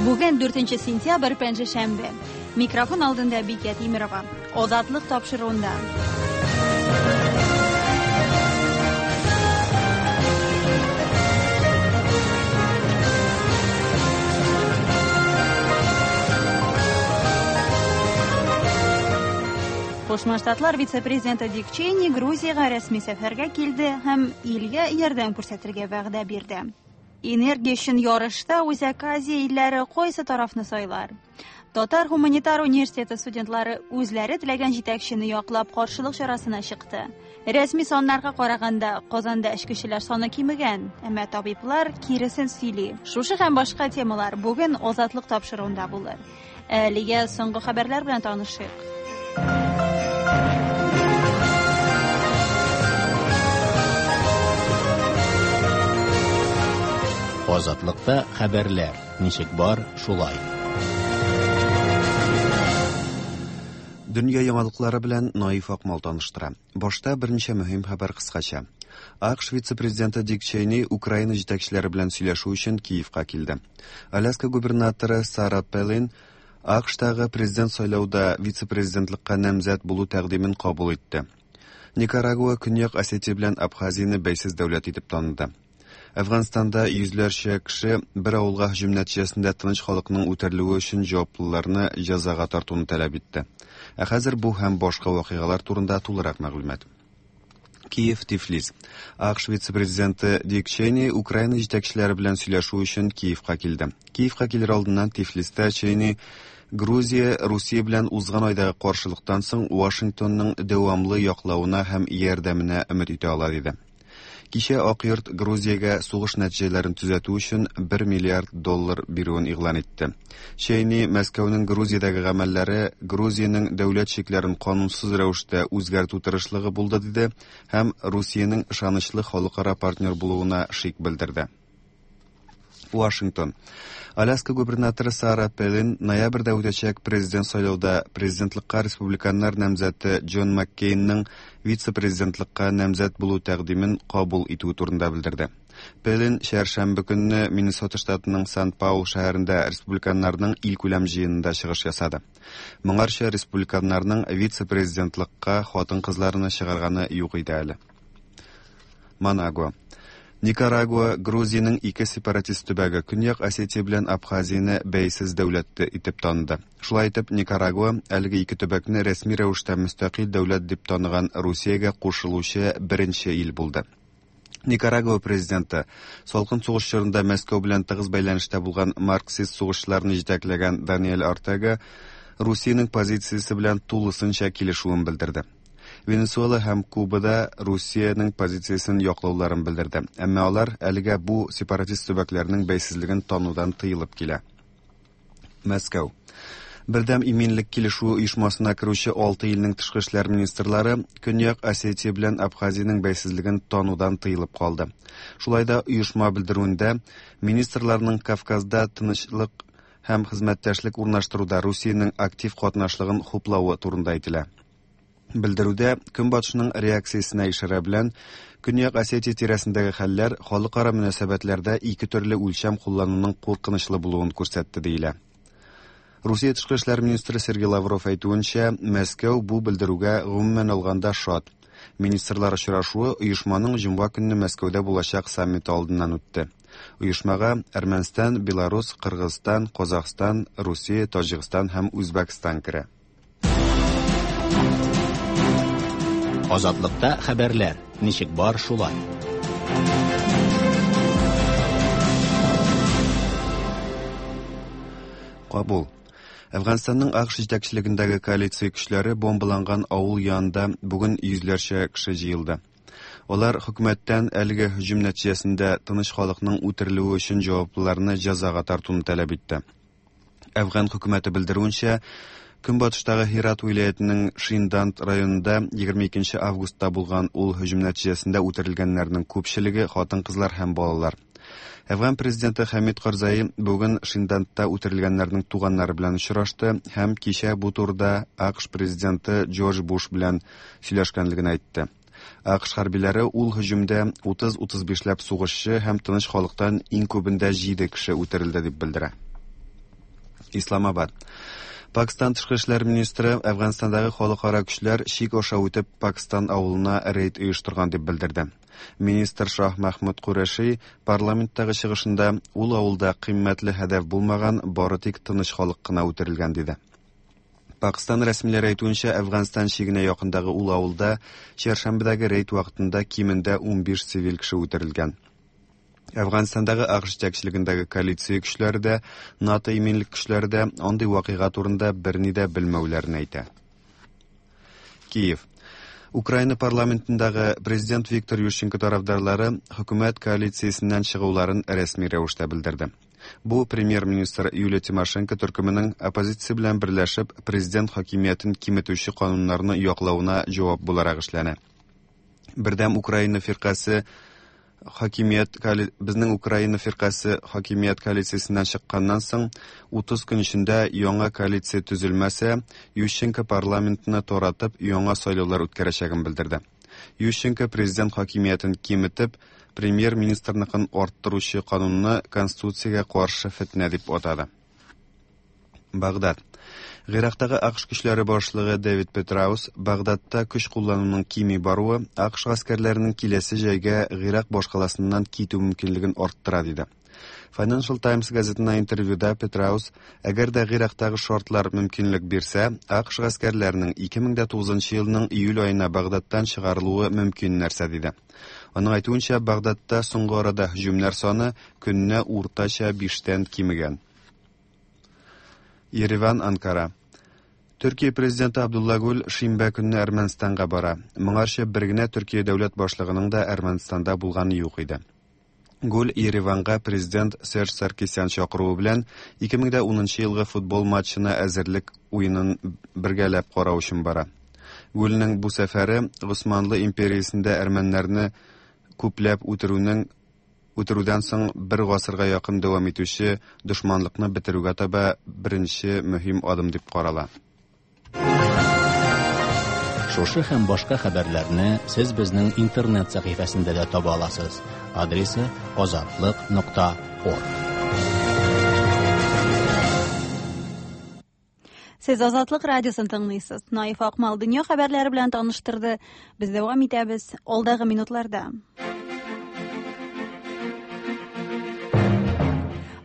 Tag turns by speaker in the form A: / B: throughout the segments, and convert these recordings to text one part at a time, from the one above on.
A: Бүген 4 сентябрь, пәнҗешәмбе. Микрофон алдында Бикә Тимерова. Азатлык тапшыруында. Кушма Штатлар вице-президенты Дик Чейни Грузиягә рәсми сәфәргә килде һәм илгә ярдәм күрсәтергә вәгъдә бирде. Энергия өчен ярышта Үзәк Азия илләре кайсы тарафны сайлар? Татар гуманитар университеты студентлары үзләре теләгән җитәкчене яклап каршылык чарасына чыкты. Рәсми саннарга караганда, Казанда эчкечеләр саны кимегән, әмма табиблар киресен сөйли. Шушы һәм башка темалар бүген Азатлык тапшыруында булыр. Әлегә соңгы хәбәрләр белән танышыйк.
B: Азатлыкта хәбәрләр ничек бар, шулай.
C: Дөнья яңалыклары белән Наиф Акмал таныштыра. Башта берничә мөһим хәбәр кыскача. АКШ вице-президенты Дик Чейни Украина җитәкчеләре белән сөйләшү өчен Киевка килде. Аляска губернаторы Сара Пелин АКШтагы президент сайлауда вице-президентлыкка намзәт булу тәкъдимен кабул итте. Никарагуа Көньяк Осетия белән Абхазияне бәйсез дәүләт итеп таныды. Әфганстанда йөзләрчә кеше бер авылга һөҗүм нәтиҗәсендә тыныч халыкның үтерелүе өчен җаваплыларны җәзага тартуны таләп итте. Ә хәзер бу һәм башка вакыйгалар турында тулырак мәгълүмат. Киев, Тифлис. АКШ вице-президенты Дик Чейни Украина җитәкчеләре белән сөйләшү өчен Киевка килде. Киевка килер алдыннан Тифлистә Чейни Грузия Русия белән узган айдагы каршылыктан соң Вашингтонның дәвамлы яклавына һәм ярдәменә өмет итә ала диде. Кичә Ак йорт Грузиягә сугыш нәтиҗәләрен төзәтү өчен 1 миллиард доллар бирүен игълан итте. Чейни Мәскәүнең Грузиядәге гамәлләре Грузиянең дәүләт чикләрен канунсыз рәвештә үзгәртү тырышлыгы булды диде һәм Русиянең ышанычлы халыкара партнер булуына шик белдерде. Вашингтон. Аляска губернаторы Сара Пелин ноябрьдә үтәчәк президент сайлауда президентлыкка республиканнар намзәте Джон Маккейнның вице-президентлыкка намзәт булу тәкъдимен кабул итүе турында белдерде. Пелин чәршәмбе көнне Миннесота штатының Сан-Паул шәһәрендә республиканнарның илкүләм җыенында чыгыш ясады. Моңарча республиканнарның вице-президентлыкка хатын-кызларны чыгарганы юк иде әле. Манагуа. Никарагуа, Грузиянең ике сепаратист төбәге, Көньяк Осетия белән Абхазияне бәйсез дәүләт итеп таныды. Шулай итеп, Никарагуа әлеге ике төбәкне рәсми рәвештә мөстәкыйль дәүләт дип таныган Русиягә кушылучы беренче ил булды. Никарагуа президенты, салкын сугыш чорында Мәскәү белән тыгыз бәйләнештә булган марксист сугышчыларны җитәкләгән Даниэль Ортега Русиянең позициясе белән тулысынча килешүен белдерде. Венесуэла һәм Куба да Русиянең позициясен яклауларын белдерде. Әмма алар әлегә бу сепаратист төбәкләрнең бәйсезлеген танудан тыелып килә. Мәскәү. Бердәм иминлек килешүе оешмасына керүче алты илнең тышкы эшләр министрлары Көньяк Осетия белән Абхазиянең бәйсезлеген танудан тыелып калды. Шулай да оешма белдерүендә министрларның Кавказда тынычлык һәм хезмәттәшлек урнаштыруда Русиянең актив катнашлыгын хуплавы турында әйтелә. Белдерүдә Көнбатышның реакциясенә ишарә белән Көньяк Осетия тирәсендәге хәлләр халыкара мөнәсәбәтләрдә ике төрле үлчәм куллануның куркынычлы булуын күрсәтте диелә. Русия тышкы эшләр министры Сергей Лавров әйтүенчә, Мәскәү бу белдерүгә гомумән алганда шат. Министрлар очрашуы оешманың җомга көнне Мәскәүдә булачак саммиты алдыннан үтте. Оешмага Әрмәнстан, Беларус, Кыргызстан, Казахстан, Русия, Таҗикстан һәм Үзбәкстан керә.
B: Азатлыкта хәбәрләр ничек бар шулай.
C: Кабул. Әфганстанның АКШ җитәкчелегендәге коалиция көчләре бомбаланган авыл янында бүген йөзләрчә кеше җыелды. Алар хөкүмәттән әлеге һөҗүм нәтиҗәсендә тыныч халыкның үтерелүе өчен җаваплыларны җәзага тартуны таләп итте. Әфган хөкүмәте белдерүенчә, Көнбатыштагы Һират вилаятенең Шинданд районында 22 августта булган ул һөҗүм нәтиҗәсендә үтерелгәннәрнең күпчелеге хатын-кызлар һәм балалар. Әфган президенты Хәмид Карзаи бүген Шиндандта үтерелгәннәрнең туганнары белән очрашты һәм кичә бу турыда АКШ президенты Джордж Буш белән сөйләшкәнлеген әйтте. АКШ хәрбиләре ул һөҗүмдә 30-35 ләп сугышчы һәм тыныч халыктан иң күбендә 7 кеше үтерелде дип белдерә. Исламабад. Пакстан тышкы эшләр министры Әфганстандагы халыкара көчләр чик аша үтеп Пакстан авылына рейд оештырган дип белдерде. Министр Шаһ Мәхмүд Куреши парламенттагы чыгышында ул авылда кыйммәтле һәдәф булмаган, бары тик тыныч халык кына үтерелгән диде. Пакстан рәсмиләре әйтүенчә, Әфганстан чигенә якындагы ул авылда чәршәмбедәге рейд вакытында кимендә 15 цивиль кеше үтерелгән. Әфганстандагы АКШ җитәкчелегендәге коалиция көчләре дә, НАТО иминлек көчләре дә андый вакыйга турында берни дә белмәүләрен әйтә. Киев. Украина парламентындагы президент Виктор Ющенко тарафдарлары хөкүмәт коалициясеннән чыгуларын рәсми рәвештә белдерде. Бу премьер-министр Юлия Тимошенко төркеменең оппозиция белән берләшеп президент хакимиятен киметүче кануннарны яклавына җавап буларак эшләнә. Бердәм Украина фиркасе хакимият безнең Украина фиркасе хакимият коалициясеннән чыкканнан соң 30 көн эчендә яңа коалиция төзелмәсә, Ющенко парламентны таратып яңа сайлаулар үткәрәчәген белдерде. Ющенко президент хакимиятен киметеп, премьер-министрныкын арттыручы канунны конституциягә каршы фетнә дип атады. Багдад. Гыйрактагы АКШ көчләре башлыгы Дэвид Петраус Багдадта көч куллануның кими баруы АКШ гаскәрләренең киләсе җәйгә Гыйрак башкаласыннан китү мөмкинлеген арттыра диде. Financial Times газетына интервьюда Петраус, әгәр дә Гыйрактагы шартлар мөмкинлек бирсә, АКШ гаскәрләренең 2009 елның июль аена Багдадтан чыгарылуы мөмкин нәрсә диде. Аның әйтүенчә, Багдадта соңгы арада һөҗүмнәр саны көненә уртача 5-тән кимегән. Ереван, Анкара. Төркия президенты Абдулла Гүл шимбә көнне Әрмәнстанга бара. Моңарчы бер генә Төркия дәүләт башлыгының да Әрмәнстанда булганы юк иде. Гүл Ереванга президент Серж Саркисян чакыруы белән 2010 елгы футбол матчына әзерлек уенын бергәләп карау өчен бара. Гүлнең бу сәфәре Госманлы империясендә әрмәннәрне күпләп үтерүнең үтерүдән соң бер гасырга якын дәвам итүче дошманлыкны бетерүгә таба беренче мөһим адым дип карала.
B: Шушы һәм башка хәбәрләрне сез безнең интернет сәхифәсендә дә таба аласыз. Адресы azatliq.org.
A: Сез Азатлык радиосын тыңлыйсыз. Наиф Акмал дөнья хәбәрләре белән таныштырды. Без дәвам итәбез алдагы минутларда.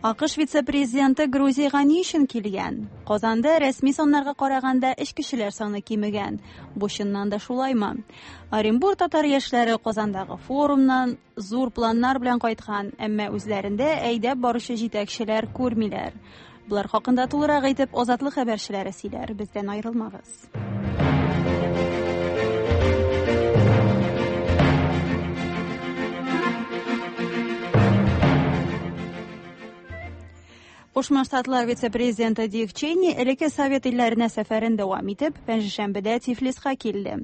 A: АКШ вице-президенты Грузиягә ни өчен килгән? Казанда рәсми саннарга караганда эчкечеләр саны кимегән. Бу чыннан да шулаймы? Оренбург татар яшьләре Казандагы форумнан зур планнар белән кайткан, әмма үзләрендә әйдәп баручы җитәкчеләр күрмиләр. Булар хакында тулырак итеп Азатлык хәбәрчеләре сөйләр. Бездән аерылмагыз. Кушма Штатлар вице-президенты Дик Чейни элекке Совет илләренә сәфәрен дәвам итеп, пәнҗешәмбедә Тифлиска килде.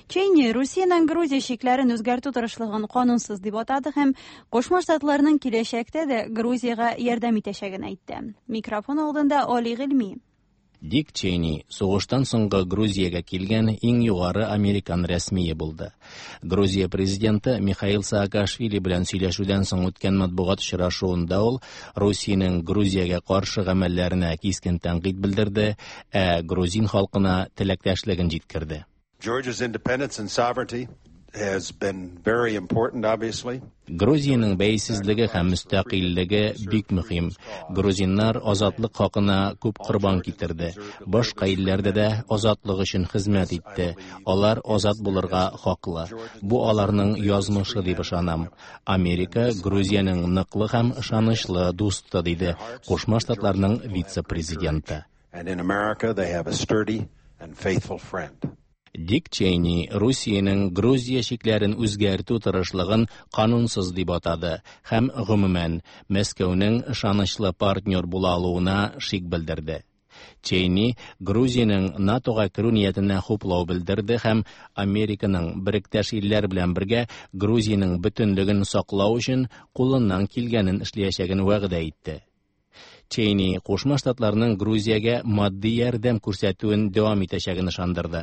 A: Чейни Русиянең Грузия чикләрен үзгәртү тырышлыгын канунсыз дип атады һәм Кушма Штатларның киләчәктә дә Грузиягә ярдәм итәчәген әйтте. Микрофон алдында Али Гыйльми.
B: Дик Чейни сугыштан соңгы Грузиягә килгән иң югары американ рәсмие булды. Грузия президенты Михаил Саакашвили белән сөйләшүдән соң үткән матбугат очрашуында ул Русиянең Грузиягә каршы гамәлләренә кискен тәнкыйть белдерде, ә грузин халкына теләктәшлеген җиткерде.
D: Georgia's independence and sovereignty has been very important, obviously.
B: Грузиянең бәйсезлеге һәм мөстәкыйльлеге бик мөһим. Грузиннар азатлык хакына күп корбан китерде. Башка илләрдә дә азатлык өчен хезмәт итте. Алар азат булырга хаклы. Бу аларның язмышы дип ышанам. Америка Грузиянең ныклы һәм ышанычлы дусты, диде Кушма Штатларның вице-президенты.
D: And in America they have a sturdy and faithful friend.
B: Дик Чейни Русиянең Грузия чикләрен үзгәртү тырышлыгын канунсыз дип атады һәм гомумән Мәскәүнең ышанычлы партнер була алуына шик белдерде. Чейни Грузиянең НАТОга керү ниятенә хуплау белдерде һәм Американың беректәш илләр белән бергә Грузиянең бөтенлеген саклау өчен кулыннан килгәнен эшләячәген вәгъдә итте. Чейни Кушма Штатларның Грузиягә матди ярдәм күрсәтүен дәвам итәчәген ышандырды.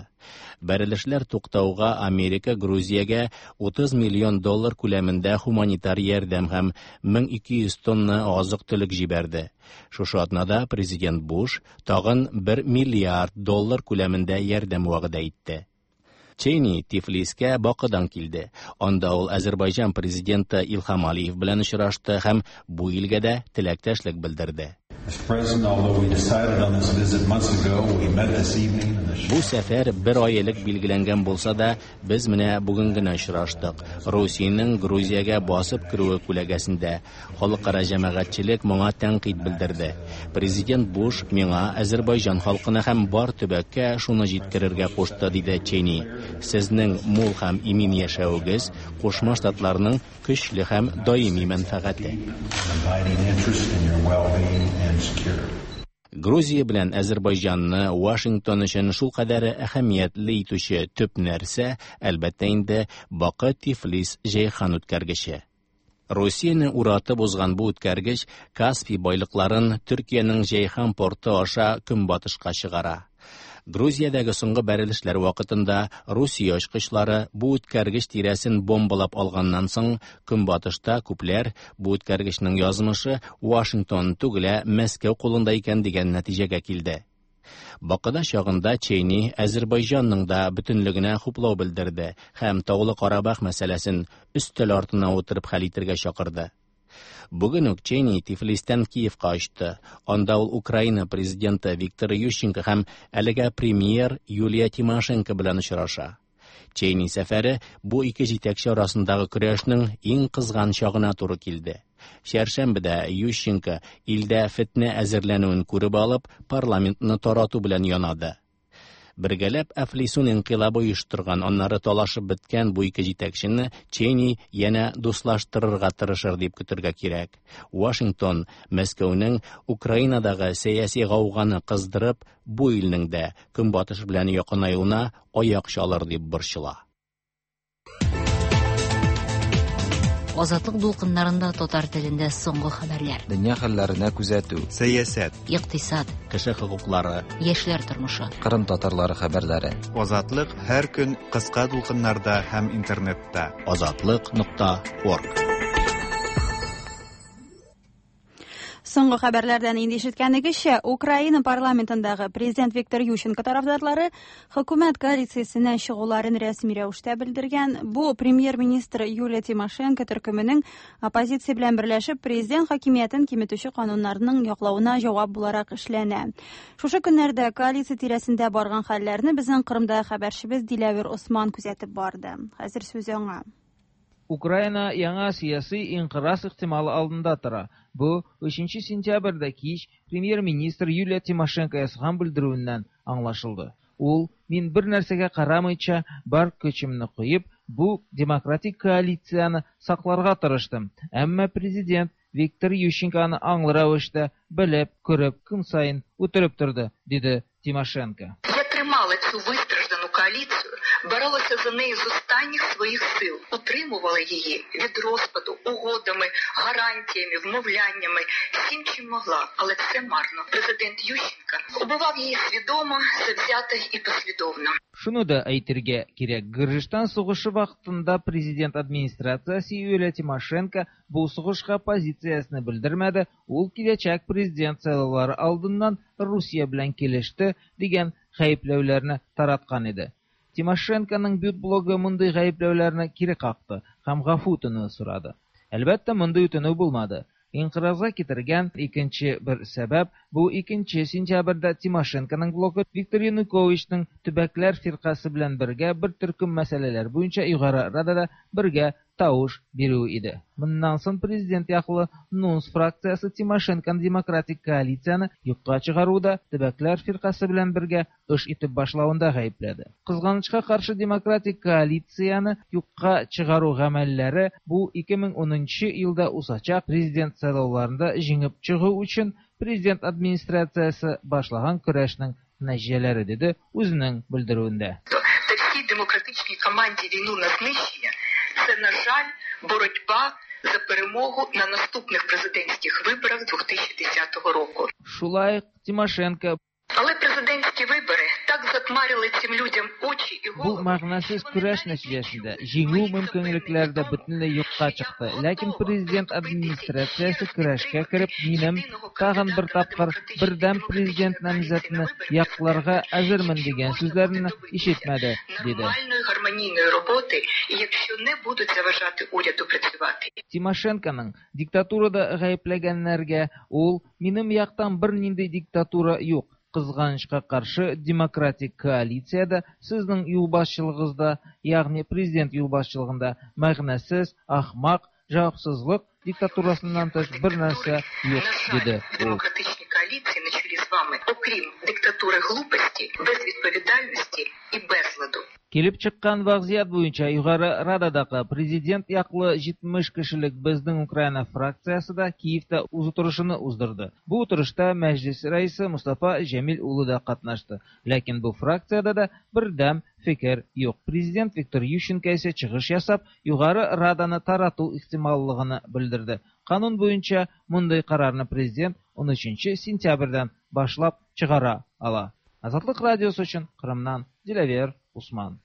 B: Бәрелешләр туктауга Америка Грузиягә 30 миллион доллар күләмендә һуманитар ярдәм һәм 1200 тонна азык-төлек җибәрде. Шушы атнада президент Буш тагын 1 миллиард доллар күләмендә ярдәм вәгъдә итте. Чейни Тифлискә Бакыдан килде. Анда ул Азербайҗан президенты Илһам Алиев белән очрашты һәм бу илгә дә теләктәшлек белдерде. Бу сәфәр бер ай элек билгеләнгән булса да, без менә бүген генә очраштык. Русиянең Грузиягә басып керүе күләгәсендә халыкара җәмәгатьчелек моңа тәнкыйть белдерде. Президент Буш миңа Азербайҗан халкына һәм бар төбәккә шуны җиткерергә кушты, диде Чейни. Сезнең мул һәм имин яшәвегез Кушма Штатларның көчле һәм даими мәнфәгате. Грузия белән Әзербайҗанны Вашингтон өчен шулкадәр әһәмиятле итүче төп нәрсә, әлбәттә инде, Бакы-Тифлис-Җәйхан үткәргече. Русияне уратып узган бу үткәргеч Каспий байлыкларын Төркиянең Җәйхан порты аша көнбатышка чыгара. Грузиядәге соңгы бәрелешләр вакытында Русия очкычлары бу үткәргеч тирәсен бомбалап алганнан соң, көнбатышта күпләр бу үткәргечнең язмышы Вашингтон түгел, ә Мәскәү кулында икән дигән нәтиҗәгә килде. Бакыда чагында Чейни Әзербайҗанның да бөтенлегенә хуплау белдерде һәм Таулы Карабах мәсьәләсен өстәл артына утырып хәл итергә чакырды. Бүген үк Чейни Тифлистән Киевка очты. Анда ул Украина президенты Виктор Ющенко һәм әлегә премьер Юлия Тимошенко белән очраша. Чейни сәфәре бу ике җитәкче арасындагы көрәшнең иң кызган чагына туры килде. Чәршәмбедә Ющенко илдә фетнә әзерләнүен күреп алып, парламентны тарату белән янады. Бергәләп әфлисун инкыйлабы оештырган, аннары талашып беткән бу ике җитәкчене Чейни янә дуслаштырырга тырышыр дип көтергә кирәк. Вашингтон Мәскәүнең Украинадагы сәяси гауганы кыздырып, бу илнең дә Көнбатыш белән якынаюына аяк чалыр дип борчыла.
E: Азатлык дулкыннарында татар телендә соңгы хәбәрләр.
F: Дөнья хәлләренә күзәтү.
C: Сәясәт.
E: Икътисад.
B: Кеше хокуклары.
E: Яшьләр тормышы.
F: Кырым татарлары хәбәрләре.
C: Азатлык һәр көн кыска дулкыннарда һәм интернетта.
B: Азатлык нокта орг.
A: Соңгы хәбәрләрдән инде ишеткәнегезчә, Украина парламентындагы президент Виктор Ющенко тарафдарлары хөкүмәт коалициясеннән чыгуларын рәсми рәвештә белдергән. Бу премьер-министр Юлия Тимошенко төркеменең оппозиция белән берләшеп президент хакимиятен киметүче кануннарның яклавына җавап буларак эшләнә. Шушы көннәрдә коалиция тирәсендә барган хәлләрне безнең Кырымдагы хәбәрчебез Диләвер Осман күзәтеп барды. Хәзер сүз аңа.
G: Украина яңа сiyasi инкыраз ихтималы алдында тора. Бу 3 сентябрьдә кич премьер-министр Юлия Тимошенко ясаган белдерүеннән аңлашылды. Ул, мин бер нәрсәгә карамыйча, бар көчемне куеп, бу демократик коалицияне сакларга тырыштым. Әмма президент Виктор Ющенко аны аңлы рәвештә белеп, күреп, көн саен үтереп торды, диде Тимошенко.
H: Я тримала цю вистраждану коаліцію, боролася за неї з останніх своїх сил, утримувала її від розпаду угодами, гарантіями, вмовляннями, всім чим могла, але все марно. Президент Ющенко убивав її свідомо, завзято і послідовно.
G: Шуны да әйтергә кирәк, Гөрҗистан сугышы вакытында президент администрациясе Юлия Тимошенко бу сугышка позициясен белдермәде, ул киләчәк президент сайлаулары алдыннан Русия белән килеште дигән гаепләүләрне тараткан иде. Тимошенконың бют блогы мондый гаепләүләрне кире какты һәм гафу үтенү сорады. Әлбәттә, мондый үтенү булмады. Инкыразга китергән икенче бер сәбәп бу 2 сентябрьдә Тимошенконың блогы Виктор Януковичның төбәкләр фиркасы белән бергә бер төркем мәсьәләләр буенча Югары Радада бергә тавыш бирү иде. Моннан соң президент яклы НУНС фракциясе Тимошенконың демократик коалицияне юкка чыгаруда төбәкләр фиркасы белән бергә эш итеп башлавында гаепләде. Кызганычка каршы демократик коалицияне юкка чыгару гамәлләре бу 2010 елда узачак президент сайлауларында җиңеп чыгу өчен президент администрациясе башлаган көрәшнең нәтиҗәләре, диде үзенең белдерүендә.
H: Та всій демократичній команді війну на знищення це, на жаль, боротьба за перемогу на наступних президентських виборах 2010 року.
G: Шулай Тимошенко.
H: Але президентські вибори так затмарили цим людям очі і
G: Бу
H: голови.
G: мәгънәсез көрәш нәтиҗәсендә җиңү мөмкинлекләре дә бөтенләй юкка чыкты. Ләкин президент администрациясе көрәшкә кереп, минем тагын бер тапкыр бердәм президент намзәтне якларга әзермен дигән сүзләрне ишетмәде, диде.
H: Нормальної гармонійної роботи, і якщо не будуть заважати уряду працювати.
G: Тимошенконың диктатурада гаепләгәннәргә ул минем яктан бернинди диктатура юк. Кызганычка каршы, демократик коалициядә сезнең юлбашчылыгыгызда, ягъни президент юлбашчылыгында мәгънәсез, ахмак, җавапсызлык диктатурасыннан тыш бер нәрсә юк,
H: На жаль,
G: диде
H: в
G: ул.
H: демократичній коаліції на чолі з вами, окрім диктатури глупості, безвідповідальності і безладу.
G: Килеп чыккан вазгыять буенча Югары Рададагы президент яклы 70 кешелек Безнең Украина фракциясе дә Киевта үз утырышын уздырды. Бу утырышта Мәҗлис рәисе Мустафа Җәмил улы да катнашты. Ләкин бу фракциядә дә бердәм фикер юк. Президент Виктор Ющенко исә чыгыш ясап, Югары Раданы тарату ихтималлыгын белдерде. Канун буенча мондый карарны президент 13 сентябрьдән башлап чыгара ала. Азатлык радиосы өчен Кырымнан Диләвер Усман.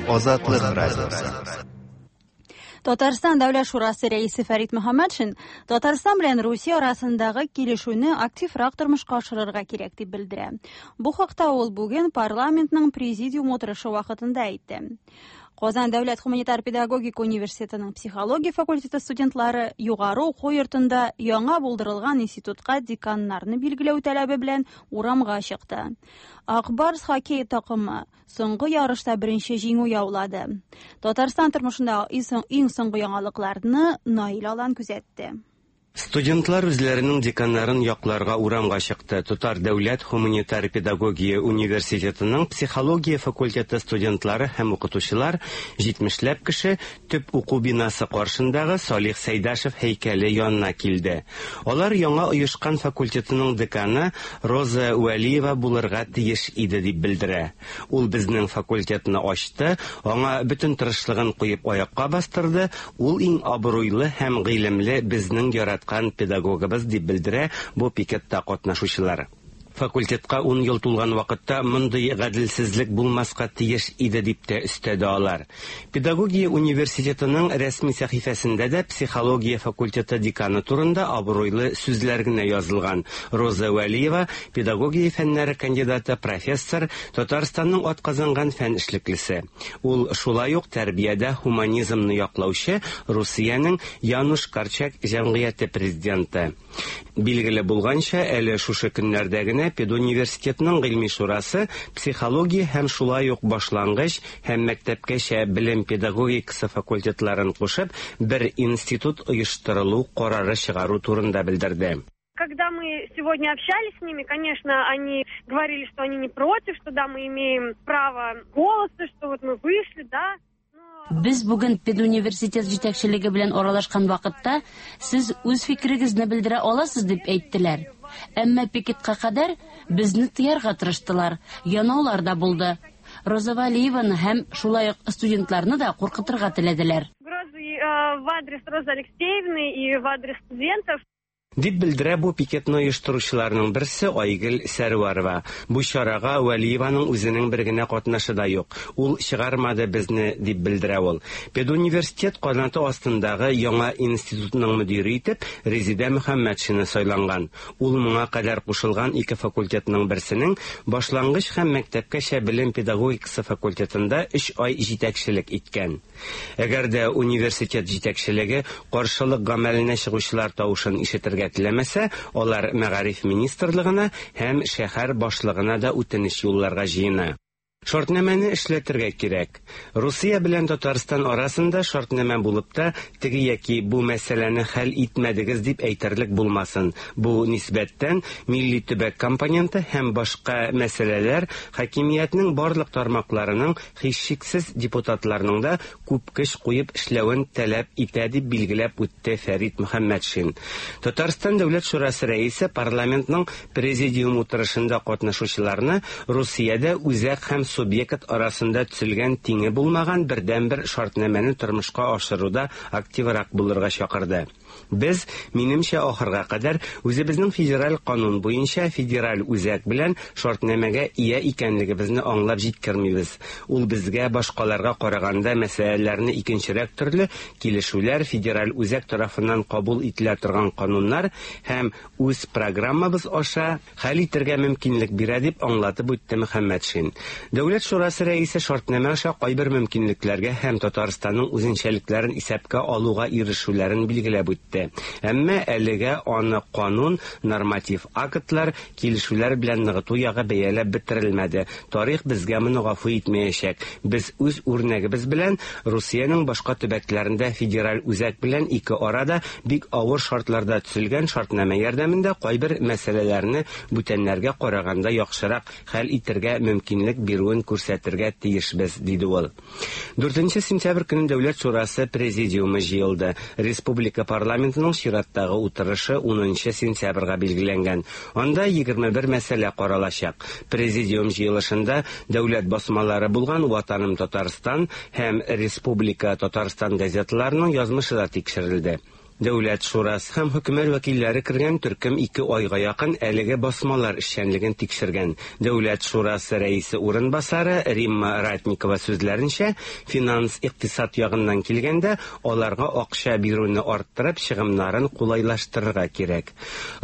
C: Азатлык радиосы.
A: Татарстан Дәүләт Шурасы рәисе Фәрит Мөхәммәтшин Татарстан белән Русия арасындагы килешүне активрак тормышка ашырырга кирәк дип белдерә. Бу хакта ул бүген парламентның президиум утырышы вакытында әйтте. Казан дәүләт гуманитар педагогика университетының психология факультеты студентлары югары уку йортында яңа булдырылган институтка деканнарны билгеләү таләбе белән урамга чыкты. Ак Барс хоккей такымы соңгы ярышта беренче җиңү яулады. Татарстан тормышындагы иң соңгы яңалыкларны Наил Алан күзәтте.
I: Студентлар үзләренең деканнарын якларга урамга чыкты. Татар дәүләт гуманитар педагогия университетының психология факультеты студентлары һәм укытучылар 70ләп кеше төп уку бинасы каршындагы Салих Сәйдашев һәйкәле янына килде. Алар яңа оешкан факультетының деканы Роза Вәлиева булырга тиеш иде дип белдерә. Ул безнең факультетны ачты, аңа бөтен тырышлыгын куеп аякка бастырды. Ул иң абруйлы һәм гыйлемле безнең яраткан педагогыбыз дип белдерә бу пикетта катнашучылар. Факультетка 10 ел тулган вакытта мондый гаделсезлек булмаска тиеш иде дип тә өстәде алар. Педагогия университетының рәсми сәхифәсендә дә психология факультеты деканы турында абруйлы сүзләр генә язылган. Роза Вәлиева педагогия фәннәре кандидаты, профессор, Татарстанның атказанган фән эшлеклесе. Ул шулай ук тәрбиядә гуманизмны яклаучы Русиянең Януш Корчак җәмгыяте президенты. Билгеле булганча, әле шушы көннәрдә генә педуниверситетның гыйльми шурасы психология һәм шулай ук башлангыч һәм мәктәпкәчә белем педагогикасы факультетларын кушып бер институт оештырылу карары чыгару турында белдерде.
J: Когда мы сегодня общались с ними, конечно, они говорили, что они не против, что да, мы имеем право голоса, что вот мы вышли, да.
K: Без бүген педуниверситет җитәкчелеге белән аралашкан вакытта сез үз фикерегезне белдерә аласыз дип әйттеләр. Әмма пикетка кадәр безне тыярга тырыштылар. Янаулар да булды. Роза Валиеваны һәм шулай ук студентларны да куркытырга теләделәр.
J: Угрозы в адрес Розы Алексеевны и в адрес студентов.
I: Дип белдерә бу пикетны оештыручыларның берсе Айгөл Сәрвәрова. Бу чарага Вәлиеваның үзенең бер генә катнашы да юк. Ул чыгармады безне, дип белдерә ул. Педуниверситет канаты астындагы яңа институтның мөдире итеп Резидә Мөхәммәтшина сайланган. Ул моңа кадәр кушылган ике факультетның берсенең башлангыч һәм мәктәпкәчә белем педагогикасы факультетында 3 ай җитәкчелек иткән. Әгәр дә университет җитәкчелеге каршылык гамәленә чыгучылар тавышын ишетергә теләмәсә, алар мәгариф министрлыгына һәм шәһәр башлыгына да үтенеч юлларга җыена. Шартнамәне эшләтергә кирәк. Русия белән Татарстан арасында шартнамә булып та, теге яки бу мәсьәләне хәл итмәдегез дип әйтерлек булмасын. Бу нисбәттән милли төбәк компоненты һәм башка мәсьәләләр хакимиятнең барлык тармакларының, һичшиксез депутатларның да күп көч куеп эшләвен таләп итә дип билгеләп үтте Фәрит Мөхәммәтшин. Татарстан Дәүләт Шурасы рәисе парламентның президиум утырышында катнашучыларны Русиядә үзәк һәм субъект арасында төзелгән тиңе булмаган бердәнбер шартнамәне тормышка ашыруда активрак булырга чакырды. Без, минемчә, ахырга кадәр үзебезнең федераль канун буенча федераль үзәк белән шартнамәгә ия икәнлегебезне аңлап җиткермибез. Ул безгә башкаларга караганда мәсьәләләрне икенчерәк төрле килешүләр, федераль үзәк тарафыннан кабул ителә торган кануннар һәм үз программабыз аша хәл итәргә мөмкинлек бирә, дип аңлатып үтте Мөхәммәтшин. Дәүләт шурасы рәисе шартнамә аша кайбер мөмкинлекләргә һәм Татарстанның үзенчәлекләрен исәпкә алуга ирешүләрен билгеләп үтте. Әмма әлегә аны канун, норматив актлар, килешүләр белән ныгыту ягы бәяләп бетерелмәде. Тарих безгә моны гафу итмәячәк. Без үз үрнәгебез белән Русиянең башка төбәкләрендә федераль үзәк белән ике арада бик авыр шартларда төзелгән шартнамә ярдәмендә кайбер мәсьәләләрне бүтәннәргә караганда яхшырак хәл итәргә мөмкинлек бирүен күрсәтергә тиешбез, диде ул. 4 сентябрь көнне Дәүләт шурасы президиумы җыелды. Республика парламентының чираттагы утырышы 10 сентябрьгә билгеләнгән. Анда 21 мәсьәлә каралачак. Президиум җыелышында дәүләт басмалары булган Ватаным Татарстан һәм Республика Татарстан газеталарының язмышы да тикшерелде. Дәүләт шурасы һәм хөкүмәт вәкилләре кергән төркем 2 айга якын әлеге басмалар эшчәнлеген тикшергән. Дәүләт шурасы рәисе урынбасары Римма Ратникова сүзләренчә, финанс икътисад ягыннан килгәндә, аларга акча бирүне арттырып, чыгымнарын кулайлаштырырга кирәк.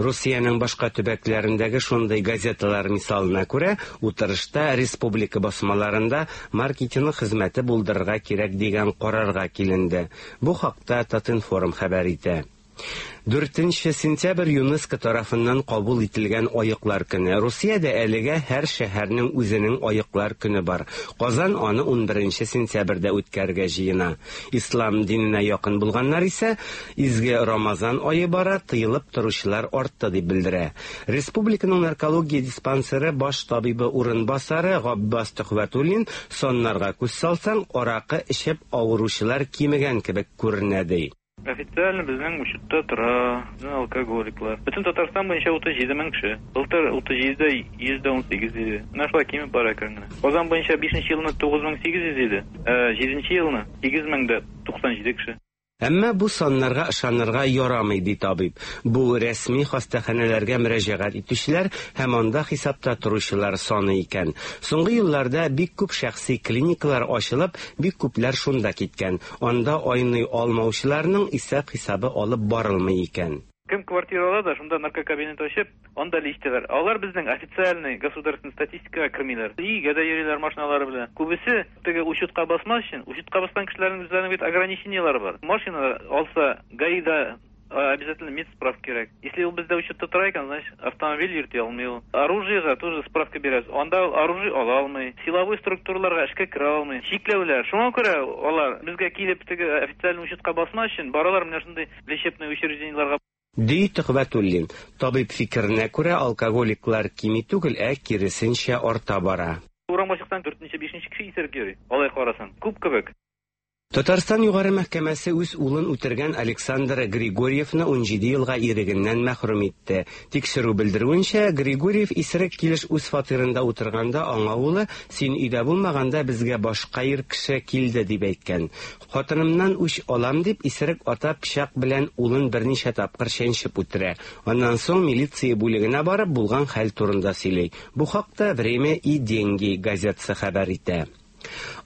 I: Русиянең башка төбәкләрендәге шундый газеталар мисалына күрә, утырышта республика басмаларында маркетинг хезмәте булдырырга кирәк дигән карарга киленде. Бу хакта Татинформ хәбәр итә. 4 сентябрь ЮНЕСКО тарафыннан кабул ителгән Аеклар көне. Русиядә әлегә һәр шәһәрнең үзенең Аеклар көне бар. Казан аны 11 сентябрьдә үткәрергә җыена. Ислам диненә якын булганнар исә изге Рамазан ае бара, тыелып торучылар артты дип белдерә. Республиканың наркология диспансеры баш табибы урынбасары Габбас Төхвәтуллин саннарга күз салсаң, аракы эчеп авыручылар кимегән кебек күренә ди.
L: Официально безнең учетта тора, безнең алкоголиклар. Бөтен Татарстан буенча 37 мең кеше. Былтыр 37-дә 118 иде. Менә шулай кимеп бара әкрен генә. Казан буенча 5 елны 9800 иде, 7 елны 8097 кеше.
I: Әмма бу саннарга ышанырга ярамый, ди табиб. Бу рәсми хастаханәләргә мөрәҗәгать итүчеләр һәм анда хисапта торучылар саны икән. Соңгы елларда бик күп шәхси клиникалар ачылып, бик күпләр шунда киткән. Анда айный алмаучыларның исәп-хисабы алып барылмый икән.
L: Кем квартира ала да, шунда наркокабинет ачып, анда лечтеләр. Алар безнең официальный государственный статистикага кермиләр. Өйгә дә йөриләр машиналары белән. Күбесе теге учетка басмас өчен, учетка баскан кешеләрнең үзләренең бит ограничениелары бар. Машина алса, ГАИда обязательно медсправка кирәк. Если ул бездә учетта тора икән, значит, автомобиль йөртә алмый ул. Оружиега тоже справка бирәбез. Анда ул оружие ала алмый. Силовой структураларга эшкә керә алмый. Чикләүләр. Шуңа күрә алар безгә килеп теге официальный учетка басмас өчен баралар менә шундый лечебный учреждениеларга.
I: Ди Төхвәтуллин. Табиб фикеренә күрә, алкоголиклар кими түгел, ә киресенчә арта бара.
L: Урамга чыксаң, 4-5 кеше исерек йөри. Алай карасаң, күп кебек.
I: Татарстан Югары мәхкәмәсе үз улын үтергән Александр Григорьевны 17 елга ирегеннән мәхрүм итте. Тикшерү белдерүенчә, Григорьев исерек килеш үз фатирында утырганда аңа улы, "Син өйдә булмаганда безгә башка ир кеше килде" дип әйткән. Хатынымнан үч алам дип исерек ата пычак белән улын берничә тапкыр чәнчеп үтерә. Аннан соң милиция бүлегенә барып булган хәл турында сөйли. Бу хакта Время и деньги газетасы хәбәр итә.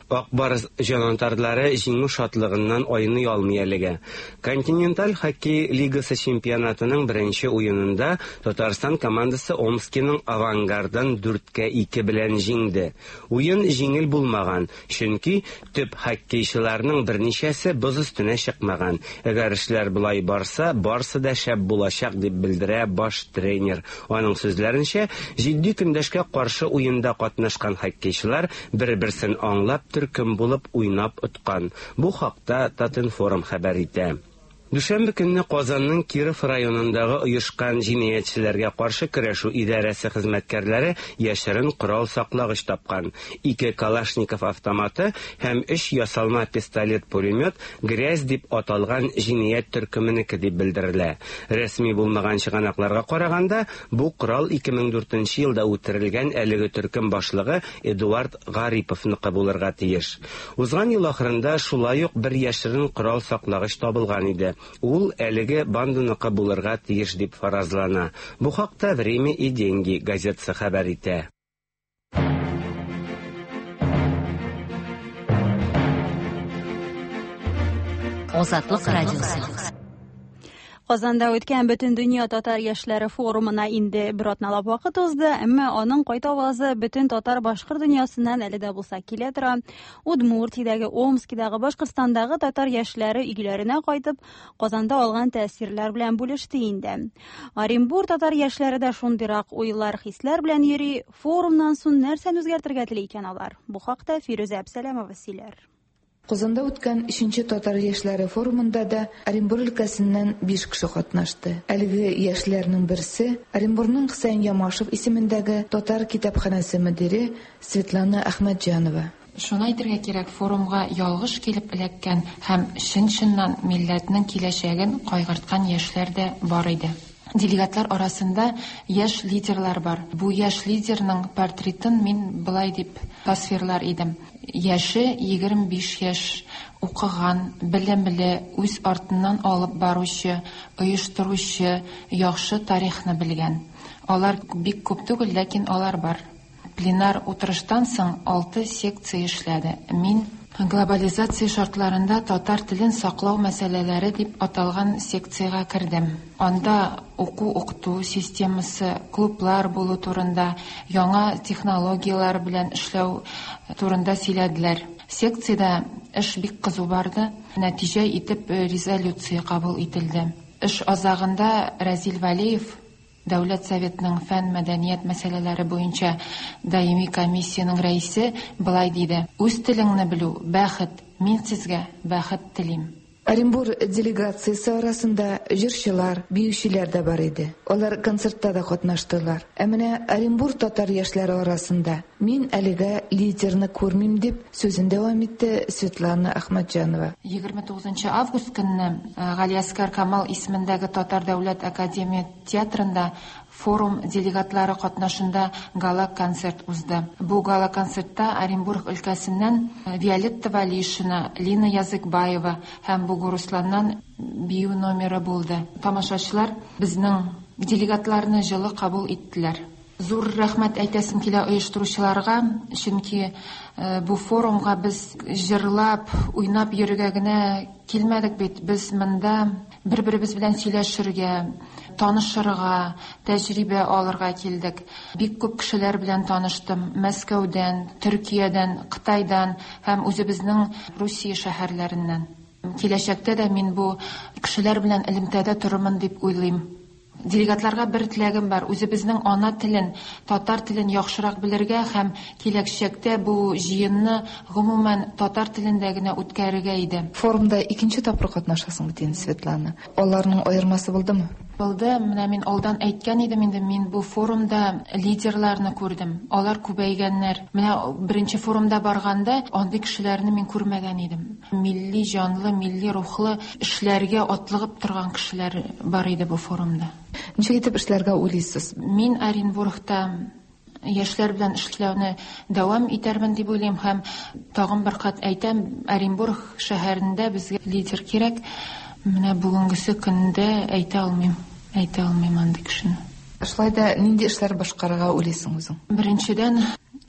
I: Ак Барс җанатарлары җиңү шатлыгыннан айный алмый әлегә. Континенталь хоккей лигасы чемпионатының беренче уенында Татарстан командасы Омскиның Авангардын 4-2 белән җиңде. Уен җиңел булмаган, чөнки төп хоккейчыларның берничәсе боз өстенә чыкмаган. Әгәр эшләр болай барса, барсы да шәп булачак дип белдерә баш тренер. Аның сүзләренчә, җитди көндәшкә каршы уенда катнашкан хоккейчылар бер-берсен аңлап төркем булып уйнап откан. Бу хакта Татинформ хәбәр итә. Дүшәмбе көнне Казанның Киров районындагы оешкан җинаятьчеләргә каршы көрәшү идарәсе хезмәткәрләре яшерен корал саклагыч тапкан. Ике Калашников автоматы һәм өч ясалма пистолет-пулемет «Грязь» дип аталган җинаять төркеменеке дип белдерелә. Рәсми булмаган чыганакларга караганда, бу корал 2004 елда үтерелгән әлеге төркем башлыгы Эдуард Гариповныкы булырга тиеш. Узган ел ахырында шулай ук бер яшерен корал саклагыч табылган иде. Ул әлеге банданыкы булырга тиеш дип фаразлана. Бу хакта Время и деньги газетасы хәбәр итә.
E: Азатлык радиосы.
A: Казанда үткән Бөтендөнья татар яшьләре форумына инде бер атналап вакыт узды, әмма аның кайтавазы бөтен татар-башкорт дөньясыннан әле дә булса килә тора. Удмуртиядәге, Омскидагы, Башкортстандагы татар яшьләре өйләренә кайтып, Казанда алган тәэсирләр белән бүлеште инде. Оренбур татар яшьләре дә шундыйрак уйлар, хисләр белән йөри. Форумнан соң нәрсәне үзгәртергә тели икән алар? Бу хакта Фирүзә Әбсәләмова сөйләр.
M: Казанда үткән 3нче татар яшьләре форумында да Оренбур өлкәсеннән 5 кеше катнашты. Әлеге яшьләрнең берсе Оренбурның Хөсәен Ямашев исемендәге татар китапханәсе мөдире Светлана Әхмәтҗанова.
N: Шуны әйтергә кирәк, форумга ялгыш килеп эләккән һәм чын-чыннан милләтнең киләчәген кайгырткан яшьләр дә бар иде. Делегатлар арасында яшь лидерлар бар. Бу яшь лидерның портретын мин былай дип тасвирлар идем. Яше 25 яшь, укыган, белемле, үз артыннан алып баручы, оештыручы, яхшы тарихны белгән. Алар бик күп түгел, ләкин алар бар. Пленар утырыштан соң 6 секция эшләде. Мин глобализация шартларында татар телен саклау мәсьәләләре дип аталган секциягә кердем. Анда уку-укыту системасы, клублар булу турында, яңа технологияләр белән эшләү турында сөйләделәр. Секциядә эш бик кызу барды. Нәтиҗә итеп резолюция кабул ителде. Эш азагында Разил Валиев, Дәүләт Советының фән мәдәният мәсьәләләре буенча даими комиссиянең рәисе, былай диде: "Үз телеңне белү бәхет. Мин сезгә бәхет телим."
M: Оренбур делегациясе арасында җырчылар, биючеләр дә бар иде. Алар концертта да катнаштылар. Ә менә Оренбур татар яшьләре арасында мин әлегә лидерны күрмим дип сүзен дәвам итте Светлана Әхмәтҗанова.
N: 29 август көнне Галиәсгар Камал исемендәге Татар дәүләт академия театрында форум делегатлары катнашында гала-концерт узды. Бу гала-концертта Оренбург өлкәсеннән Виолетта Валишина, Лина Языкбаева һәм Бугурусланнан бию номеры булды. Тамашачылар безнең делегатларны җылы кабул иттеләр. Зур рәхмәт әйтәсем килә оештыручыларга, чөнки бу форумга без җырлап, уйнап йөрергә генә килмәдек бит. Без монда бер-беребез белән сөйләшергә, танышырга, тәҗрибә алырга килдек. Бик күп кешеләр белән таныштым. Мәскәүдән, Төркиядән, Кытайдан һәм үзебезнең Русия шәһәрләреннән. Киләчәктә дә мин бу кешеләр белән элемтәдә торырмын дип уйлыйм. Делегатларга бер теләгем бар. Үзебезнең ана телен, татар телен яхшырак белергә һәм киләчәктә бу җыенны гомумән татар телендә генә үткәрергә иде.
M: Форумда икенче тапкыр катнашасың бит инде, Светлана. Аларның аермасы булдымы?
N: Булды. Менә мин алдан әйткән идем инде, мин бу форумда лидерларны күрдем. Алар күбәйгәннәр. Менә беренче форумда барганда андый кешеләрне мин күрмәгән идем. Милли җанлы, милли рухлы эшләргә атлыгып торган кешеләр бар иде бу форумда.
M: Ничек итеп эшләргә уйлыйсыз?
N: Мин Оренбургта яшьләр белән эшләүне дәвам итәрмен дип уйлыйм һәм тагын бер кат әйтәм, Оренбург шәһәрендә безгә лидер кирәк. Менә бүгенгесе көндә әйтә алмыйм, әйтә алмыйм андый кешене.
M: Шулай да нинди эшләр башкарырга уйлыйсың үзең?
N: Беренчедән,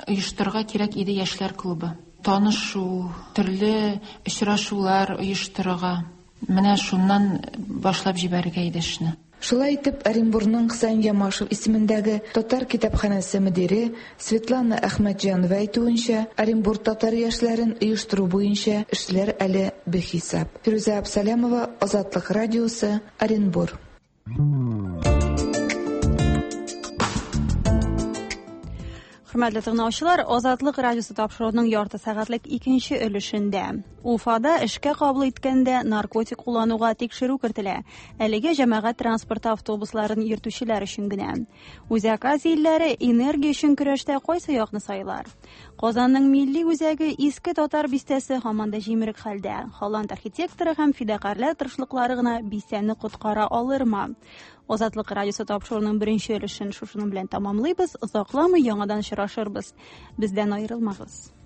N: оештырырга кирәк иде яшьләр клубы. Танышу, төрле очрашулар оештырырга. Менә шуннан башлап җибәрергә иде эшне.
M: Шулай итеп, Оренбургның Хөсәен Ямашев исемендәге татар китапханәсе мөдире Светлана Әхмәтҗанова әйтүенчә, Оренбург татар яшьләрен оештыру буенча эшләр әле бихисап. Фирүзә Абсалямова, Азатлык радиосы, Оренбур.
A: Хөрмәтле тыңлаучылар, Азатлык радиосы тапшыруының ярты сәгатьлек икенче өлешендә Уфада эшкә кабул иткәндә наркотик куллануга тикшерү кертелә. Әлегә җәмәгать транспорты автобусларын йөртүчеләр өчен генә. Үзәк Азия илләре энергия өчен көрәштә кайсы якны сайлар? Казанның милли үзәге Иске Татар бистәсе һаман да җимерек хәлдә. Холланд архитекторы һәм фидакарьләр тырышлыклары гына бистәне коткара алырмы? Азатлык радиосы тапшыруының беренче өлешен шушының белән тәмамлыйбыз. Озакламый яңадан очрашырбыз. Бездән аерылмагыз.